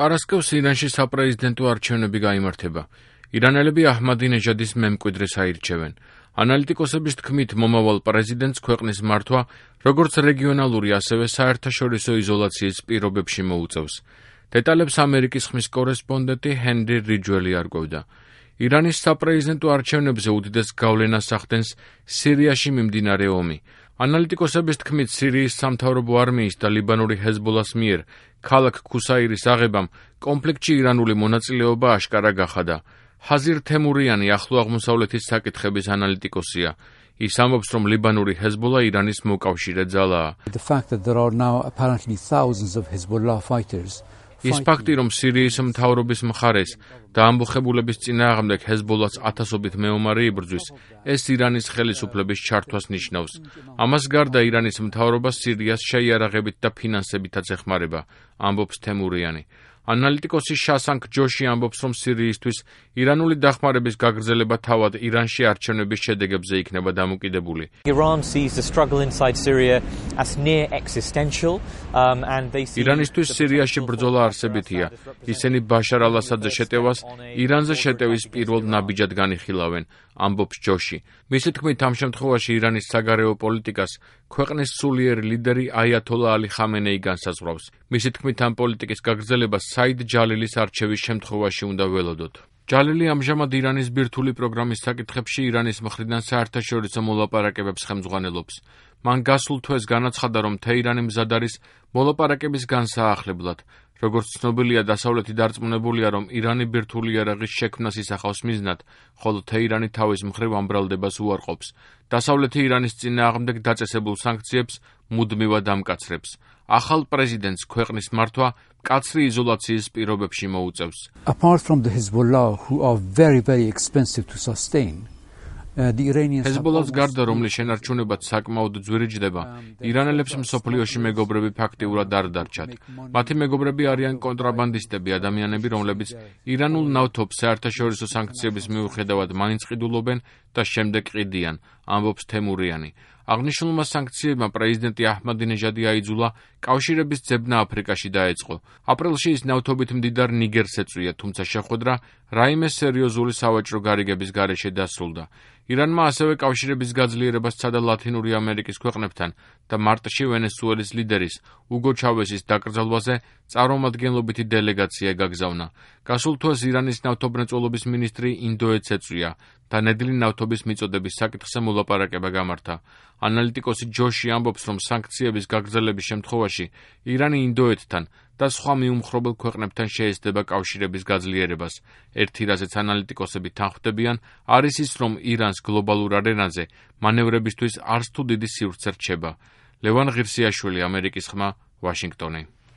პარასკევს ირანში საპრეზიდენტო არჩევნები გაიმართება. ირანელები აჰმადინეჟადის მემკვიდრეს აირჩევენ. ანალიტიკოსების თქმით, მომავალ პრეზიდენტს ქვეყნის მართვა, როგორც რეგიონალური, ასევე საერთაშორისო იზოლაციის პირობებში მოუწევს. დეტალებს ამერიკის ხმის კორესპონდენტი ჰენრი რიჯველი არკვევდა. ირანის საპრეზიდენტო არჩევნებზე უდიდეს გავლენას ახდენს სირიაში მიმდინარე ომი. ანალიტიკოსების თქმით, სირიის სამთავრობო არმიის და ლიბანური ჰეზბოლას მიერ ქალაქ ქუსაირის აღებამ კონფლიქტში ირანული მონაწილეობა აშკარა გახადა. ჰაზირ თემურიანი ახლო აღმოსავლეთის საკითხების ანალიტიკოსია. ის ამბობს, რომ ლიბანური ჰეზბოლა ირანის მოკავშირე ძალაა. ის ფაქტი, რომ სირიის მთავრობის მხარეს და ამბოხებულების წინააღმდეგ ჰეზბოლას ათასობით მეომარი იბრძვის, ეს ირანის ხელისუფლების ჩართვას ნიშნავს. ამას გარდა ირანის მთავრობა სირიას შეიარაღებით და ფინანსებითაც ეხმარება, ამბობს თემურიანი. ანალიტიკოსი შასანქ ჯოში ამბობს, რომ სირიისთვის ირანული დახმარების გაგრძელება თავად ირანში არჩევნების შედეგებზე იქნება დამოკიდებული. ირანისთვის სირიაში ბრძოლა არსებითია. ისინი ბაშარ ალ-ასადზე შეტევას ირანზე შეტევის პირველ ნაბიჯად განიხილავენ, ამბობს ჯოში. მისი თქმით, ამ შემთხვევაში ირანის საგარეო პოლიტიკას ქვეყნის სულიერი ლიდერი აიათოლა ალი ხამენეი განსაზღვრავს. მისი თქმით, ამ პოლიტიკის გაგრძელება საიდ ჯალილის არჩევის შემთხვევაში უნდა ველოდოთ. ჯალილი ამჟამად ირანის ბირთვული პროგრამის საკითხებში ირანის მხრიდან საერთაშორისო მოლაპარაკებებს ხელმძღვანელობს. მან გასულ თვეს განაცხადა, რომ თეირანი მზად არის მოლაპარაკების განსაახლებლად. როგორც ცნობილია, დასავლეთი დარწმუნებულია, რომ ირანი ბირთვული იარაღის შექმნას ისახავს მიზნად, ხოლო თეირანი თავის მხრივ ამ ბრალდებას უარყოფს. დასავლეთი ირანის წინააღმდეგ დაწესებულ სანქციებს მუდმივად ამკაცრებს. ახალ პრეზიდენტს ქვეყნის მართვა მკაცრი იზოლაციის პირობებში მოუწევს. ჰეზბოლას გარდა, რომლის შენარჩუნებაც საკმაოდ ძვირიჯდება, ირანელებს მსოფლიოში მეგობრები ფაქტიურად არ დარჩათ. მათი მეგობრები არიან კონტრაბანდისტები, ადამიანები, რომლებიც ირანულ ნავთობს საერთაშორისო სანქციების მიუხედავად მაინც ყიდულობენ და შემდეგ ყიდიან, ამბობს თემურიანი. აღნიშნულმა სანქციებმა პრეზიდენტი აჰმადინეჟადი აიძულა კავშირების ძებნა აფრიკაში დაეწყო. აპრილში ის ნავთობით მდიდარ ნიგერს ეწვია, თუმცა შეხვედრა რაიმე სერიოზული სავაჭრო გარიგების გარეშე დასრულდა. ირანმა ასევე კავშირების გაძლიერება სცადა ლათინური ამერიკის ქვეყნებთან და მარტში ვენესუელის ლიდერის უგო ჩავესის დაკრძალვაზე წარმომადგენლობითი დელეგაცია გაგზავნა. გასულ თვეს ირანის ნავთობმრეწველობის მინისტრი ინდოეთს ეწვია და ნედლი ნავთობის მიწოდების საკითხზე მოლაპარაკება გამართა. ანალიტიკოსი ჯოში ამბობს, რომ სანქციების გაგრძელების შემთხვევაში ირანი ინდოეთთან და სხვა მიუმხრობელ ქვეყნებთან შეეცდება კავშირების გაძლიერებას. ერთი, რაზეც ანალიტიკოსები თანხმდებიან, არის ის, რომ ირანს გლობალურ არენაზე მანევრებისთვის არც თუ დიდი სივრცე რჩება. ლევან ღირსიაშვილი, ამერიკის ხმა, ვაშინგტონი.